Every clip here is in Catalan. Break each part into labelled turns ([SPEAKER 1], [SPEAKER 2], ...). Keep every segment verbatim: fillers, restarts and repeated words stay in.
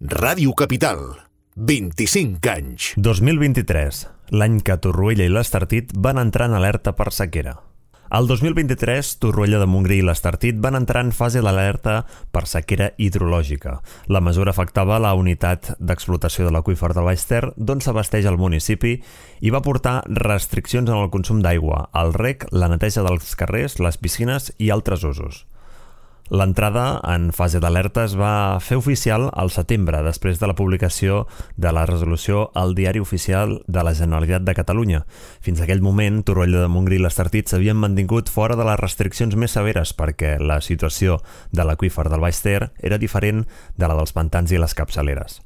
[SPEAKER 1] Ràdio Capital, vint-i-cinc anys.
[SPEAKER 2] dos mil vint-i-tres, l'any que Torroella i l'Estartit van entrar en alerta per sequera. El dos mil vint-i-tres, Torroella de Montgrí i l'Estartit van entrar en fase d'alerta per sequera hidrològica. La mesura afectava la unitat d'explotació de l'aqüífer del Baix Ter, d'on s'abasteix el municipi, i va portar restriccions en el consum d'aigua, el reg, la neteja dels carrers, les piscines i altres usos. L'entrada en fase d'alerta es va fer oficial al setembre, després de la publicació de la resolució al Diari Oficial de la Generalitat de Catalunya. Fins a aquell moment, Torroella de Montgrí i l'Estartit s'havien mantingut fora de les restriccions més severes perquè la situació de l'aqüífer del Baix Ter era diferent de la dels pantans i les capçaleres.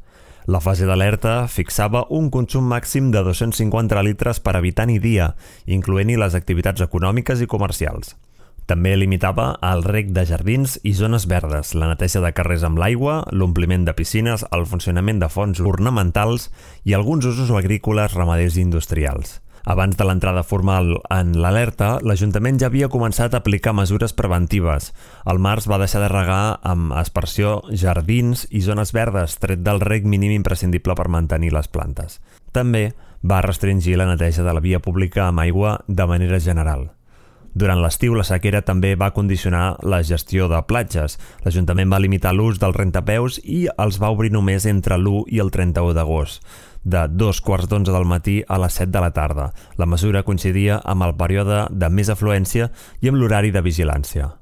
[SPEAKER 2] La fase d'alerta fixava un consum màxim de dos-cents cinquanta litres per habitant i dia, incloent-hi les activitats econòmiques i comercials. També limitava el reg de jardins i zones verdes, la neteja de carrers amb l'aigua, l'ompliment de piscines, el funcionament de fonts ornamentals i alguns usos agrícoles, ramaders i industrials. Abans de l'entrada formal en l'alerta, l'Ajuntament ja havia començat a aplicar mesures preventives. Al març va deixar de regar amb aspersió jardins i zones verdes, tret del reg mínim imprescindible per mantenir les plantes. També va restringir la neteja de la via pública amb aigua de manera general. Durant l'estiu, la sequera també va condicionar la gestió de platges. L'Ajuntament va limitar l'ús dels rentapeus i els va obrir només entre l'u i el trenta-u d'agost, de dos quarts d'onze del matí a les set de la tarda. La mesura coincidia amb el període de més afluència i amb l'horari de vigilància.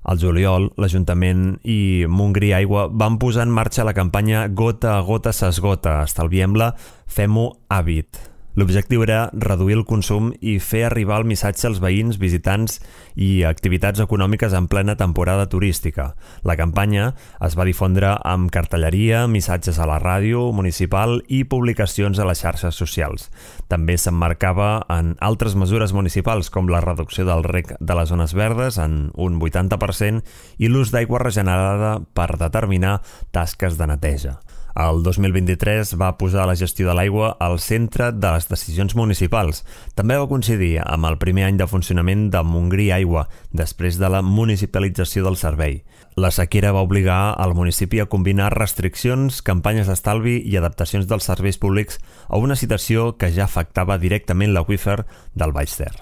[SPEAKER 2] Al juliol, l'Ajuntament i Montgrí Aigua van posar en marxa la campanya Gota a gota s'esgota, estalviem-la, fem-ho hàbit. L'objectiu era reduir el consum i fer arribar el missatge als veïns, visitants i activitats econòmiques en plena temporada turística. La campanya es va difondre amb cartelleria, missatges a la ràdio municipal i publicacions a les xarxes socials. També s'emmarcava en altres mesures municipals, com la reducció del reg de les zones verdes en un vuitanta per cent i l'ús d'aigua regenerada per determinar tasques de neteja. El dos mil vint-i-tres va posar la gestió de l'aigua al centre de les decisions municipals. També va coincidir amb el primer any de funcionament de Montgrí Aigua, després de la municipalització del servei. La sequera va obligar al municipi a combinar restriccions, campanyes d'estalvi i adaptacions dels serveis públics a una situació que ja afectava directament l'aqüífer del Baix Ter.